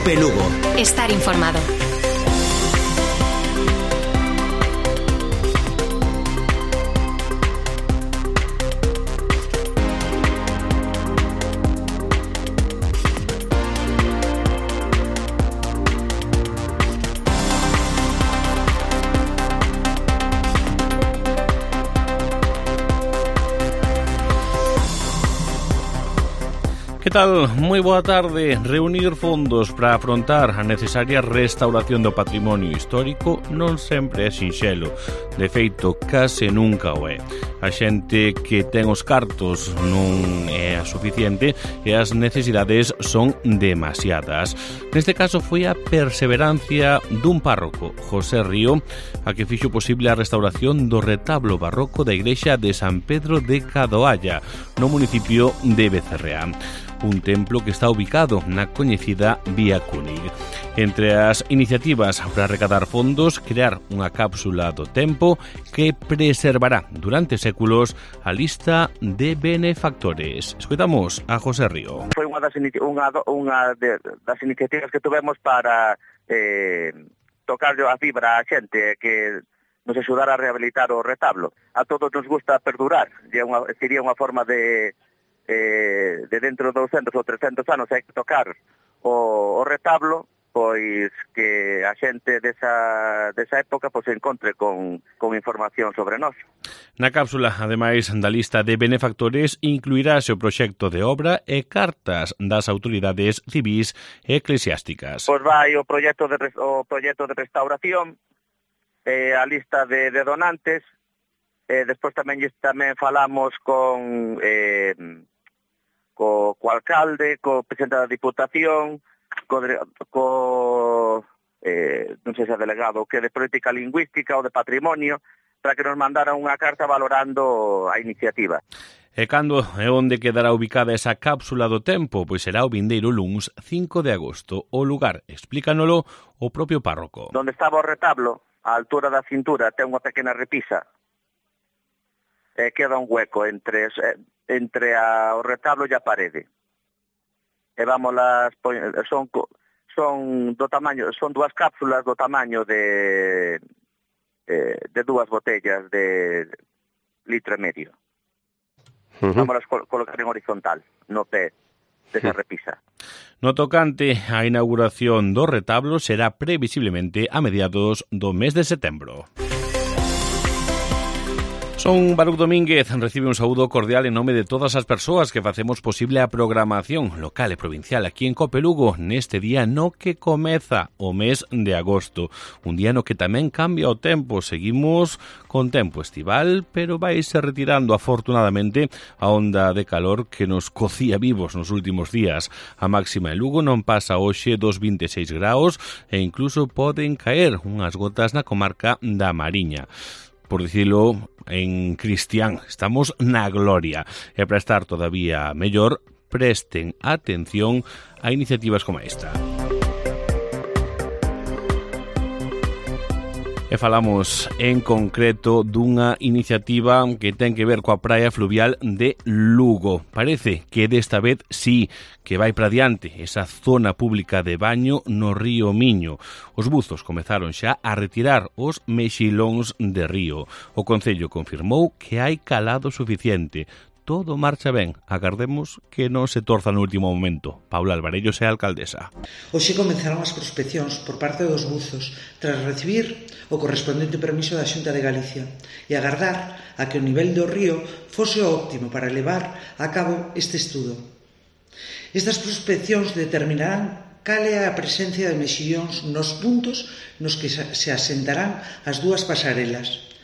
COPE Lugo. Estar informado. Que tal? Moi boa tarde. Reunir fondos para afrontar a necesaria restauración do patrimonio histórico non sempre é sinxelo. De feito, case nunca o é. A xente que ten os cartos non é a suficiente e as necesidades son demasiadas. Neste caso foi a perseverancia dun párroco, José Río, a que fixo posible a restauración do retablo barroco da igrexa de San Pedro de Cadoalla, no municipio de Becerreá. Un templo que está ubicado na coñecida Vía Cúnig. Entre as iniciativas para recadar fondos, crear unha cápsula do tempo que preservará durante séculos a lista de benefactores. Escoitamos a José Río. Foi unha das iniciativas que tuvemos para tocar a fibra a xente que nos axudar a rehabilitar o retablo. A todos nos gusta perdurar, sería unha forma de dentro de 200 ou 300 anos hai que tocar o retablo, pois que a xente desa época pois se encontre con información sobre nós. Na cápsula, ademais da lista de benefactores, incluirase o proxecto de obra e cartas das autoridades civís e eclesiásticas. Pois vai o proxecto de restauración, a lista de donantes, despois tamén falamos con co alcalde, co presidente da Diputación, non sei se é delegado que de política lingüística ou de patrimonio, para que nos mandaran unha carta valorando a iniciativa. E cando e onde quedará ubicada esa cápsula do tempo? Pois será o vindeiro luns 5 de agosto. O lugar, explícanolo o propio párroco. Donde estaba o retablo, á altura da cintura, ten unha pequena repisa. Queda un hueco entre o retablo e a parede. E son dúas cápsulas do tamaño de dúas botellas de litro e medio. Vamos a colocar en horizontal, no pé desa repisa. No tocante á inauguración do retablo será previsiblemente a mediados do mes de setembro. Son Baruch Domínguez, recibe un saúdo cordial en nome de todas as persoas que facemos posible a programación local e provincial aquí en COPE Lugo neste día no que comeza o mes de agosto. Un día no que tamén cambia o tempo. Seguimos con tempo estival, pero vaise retirando afortunadamente a onda de calor que nos cocía vivos nos últimos días. A máxima en Lugo non pasa hoxe dos 26 graus e incluso poden caer unhas gotas na comarca da Mariña. Por dicilo en cristián, estamos na gloria. E para estar todavía mellor, presten atención a iniciativas como esta. E falamos en concreto dunha iniciativa que ten que ver coa praia fluvial de Lugo. Parece que desta vez sí que vai para diante esa zona pública de baño no río Miño. Os buzos comezaron xa a retirar os mexilóns de río. O Concello confirmou que hai calado suficiente. Todo marcha ben. Agardemos que non se torza no último momento. Paula Alvarellos é a alcaldesa. Hoxe comenzaron as prospeccións por parte dos buzos tras recibir o correspondente permiso da Xunta de Galicia e agardar a que o nivel do río fose óptimo para levar a cabo este estudo. Estas prospeccións determinarán cal é a presencia de mexillóns nos puntos nos que se asentarán as dúas pasarelas.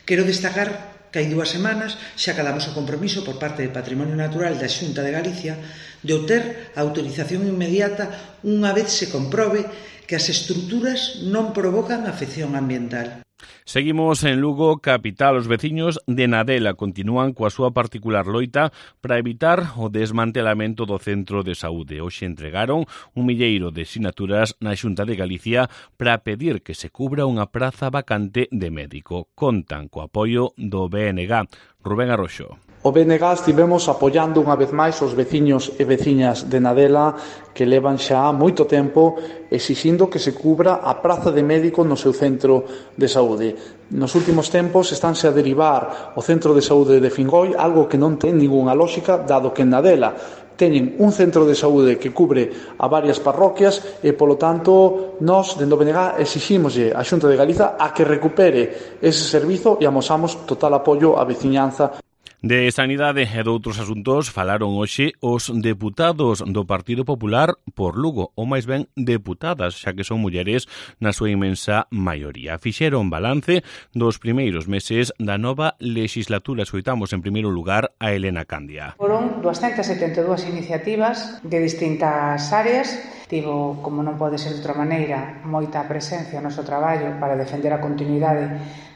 Quero destacar que hai 2 semanas xa acadamos o compromiso por parte de Patrimonio Natural da Xunta de Galicia de obter a autorización inmediata unha vez se comprobe que as estruturas non provocan afección ambiental. Seguimos en Lugo, capital. Os veciños de Nadela continúan coa súa particular loita para evitar o desmantelamento do centro de saúde. Hoxe entregaron un milleiro de sinaturas na Xunta de Galicia para pedir que se cubra unha praza vacante de médico. Contan co apoio do BNG. Rubén Arroxo. O BNG estivemos apoiando unha vez máis os veciños e veciñas de Nadela que levan xa moito tempo exixindo que se cubra a praza de médico no seu centro de saúde. Nos últimos tempos estánse a derivar o centro de saúde de Fingoi, algo que non ten ningunha lógica, dado que en Nadela teñen un centro de saúde que cubre a varias parroquias e, polo tanto, nós, dende o BNG, exiximoslle á Xunta de Galiza a que recupere ese servizo e amosamos total apoio á veciñanza. De sanidade e de outros asuntos falaron hoxe os deputados do Partido Popular por Lugo, ou máis ben deputadas, xa que son mulleres na súa inmensa maioría. Fixeron balance dos primeiros meses da nova legislatura. Escoitamos en primeiro lugar a Elena Candia. Foron 272 iniciativas de distintas áreas. Tivo, como non pode ser de outra maneira, moita presencia no noso traballo para defender a continuidade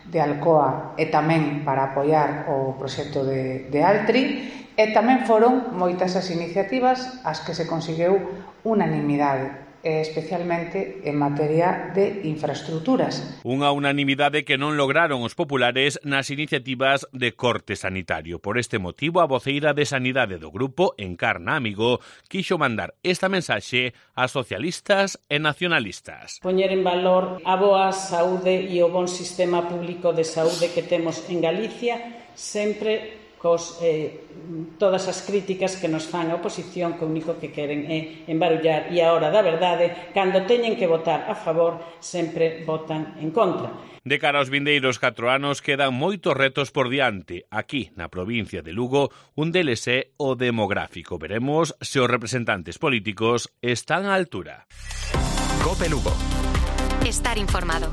de Alcoa e tamén para apoiar o proxecto de Altri, e tamén foron moitas as iniciativas as que se conseguiu unanimidade, especialmente en materia de infraestructuras. Unha unanimidade que non lograron os populares nas iniciativas de corte sanitario. Por este motivo, a voceira de Sanidade do grupo, Encarna Amigo, quixo mandar esta mensaxe a socialistas e nacionalistas. Poñer en valor a boa saúde e o bon sistema público de saúde que temos en Galicia, sempre todas as críticas que nos fan a oposición, que o único que queren é embarullar, e a hora da verdade, cando teñen que votar a favor, sempre votan en contra. De cara aos vindeiros 4 anos quedan moitos retos por diante. Aquí, na provincia de Lugo, un deles é o demográfico. Veremos se os representantes políticos están á altura. COPE Lugo. Estar informado.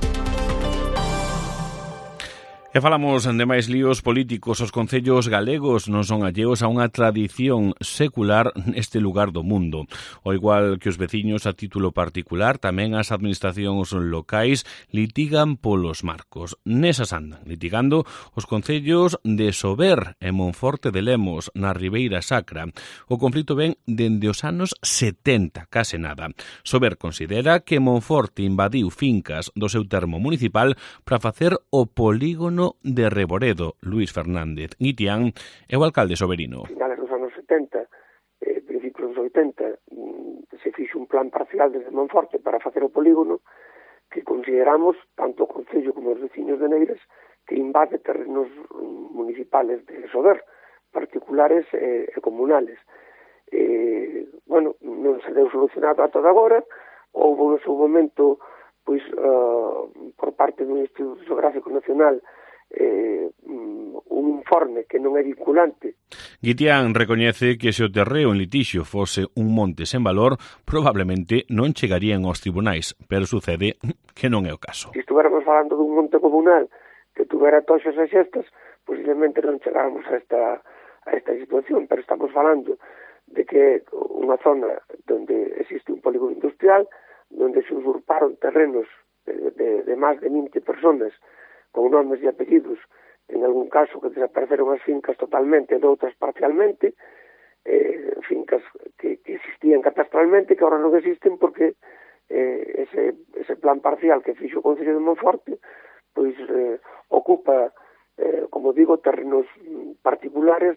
E falamos de máis líos políticos. Os concellos galegos non son alleos a unha tradición secular neste lugar do mundo. O igual que os veciños a título particular, tamén as administracións locais litigan polos marcos. Nesas andan litigando os concellos de Sober e Monforte de Lemos, na Ribeira Sacra. O conflito ven dende os anos 70, case nada. Sober considera que Monforte invadiu fincas do seu termo municipal para facer o polígono de Reboredo. Luis Fernández Guitián é o alcalde soberino. Finales dos anos 70, principios dos 80, se fixo un plan parcial desde Monforte para facer o polígono que consideramos, tanto o Concello como os veciños de Neiras, que invade terrenos municipales de Sober, particulares e comunales. Non se deu solucionado ata agora. Houve no seu momento por parte do Instituto Geográfico Nacional un informe que non é vinculante. Guitián recoñece que se o terreo en litixio fose un monte sen valor, probablemente non chegarían aos tribunais, pero sucede que non é o caso. Se estuéramos falando dun monte comunal que tuvera toxas e xestas, posiblemente non chegáramos a esta situación, pero estamos falando de que unha zona onde existe un polígono industrial, onde se usurparon terrenos de máis de 20 personas con nomes e apellidos, en algún caso que desapareceron as fincas totalmente, de outras parcialmente, fincas que existían catastralmente, que agora non existen porque ese plan parcial que fixo o Concello de Monforte ocupa, como digo, terrenos particulares.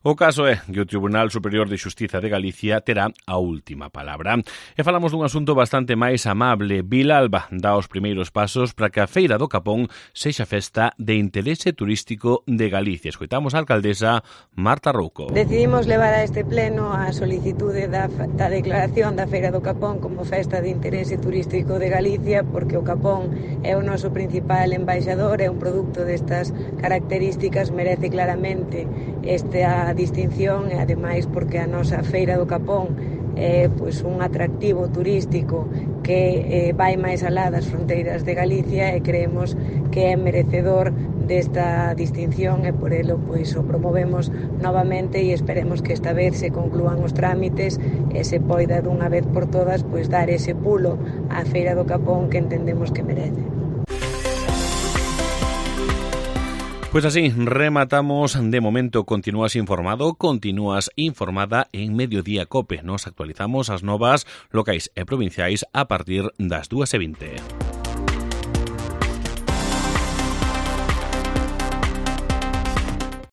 O caso é que o Tribunal Superior de Xustiza de Galicia terá a última palabra. E falamos dun asunto bastante máis amable. Vilalba dá os primeiros pasos para que a Feira do Capón sexa festa de interese turístico de Galicia. Escoitamos a alcaldesa Marta Rouco. Decidimos levar a este pleno a solicitude da declaración da Feira do Capón como festa de interese turístico de Galicia, porque o Capón é o noso principal embaixador, é un produto destas características, merece claramente esta distinción e ademais porque a nosa Feira do Capón é un atractivo turístico que vai máis alá das fronteiras de Galicia e creemos que é merecedor desta distinción e por elo o promovemos novamente e esperemos que esta vez se conclúan os trámites e se poida dunha vez por todas dar ese pulo á Feira do Capón que entendemos que merece. Pues así, rematamos. De momento continúas informado, continúas informada en Mediodía Cope. Nos actualizamos as novas locais e provinciais a partir das 2:20.